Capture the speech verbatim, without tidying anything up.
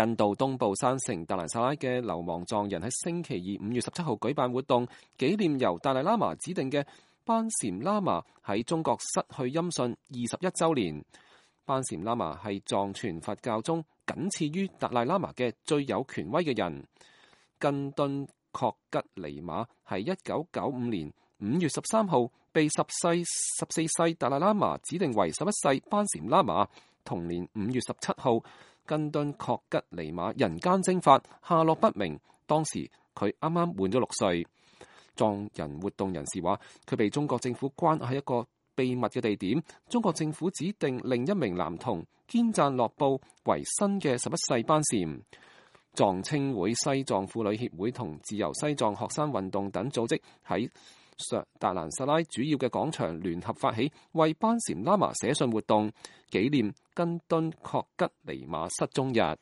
印度東部山城達蘭薩拉嘅流亡藏人喺星期二五月十七號舉辦活動，紀念由達賴喇嘛指定嘅班禪喇嘛喺中國失去音訊二十一週年。班禪喇嘛係藏傳佛教中僅次於達賴喇嘛嘅最有權威嘅人。根敦確吉尼瑪係一九九五年五月十三號被十世十四世達賴喇嘛指定為十一世班禪喇嘛。同年五月十七號，根敦確吉尼瑪人間蒸發，下落不明。當時佢啱啱滿咗六歲。藏人活動人士話，佢被中國政府關喺一個秘密嘅地點。中國政府指定另一名男童堅贊洛布為新嘅十一世班禪。藏青會、西藏婦女協會同自由西藏學生運動等組織喺達蘭薩拉主要嘅廣場聯合發起為班禪喇嘛寫信活動，紀念根敦確吉尼瑪失蹤日。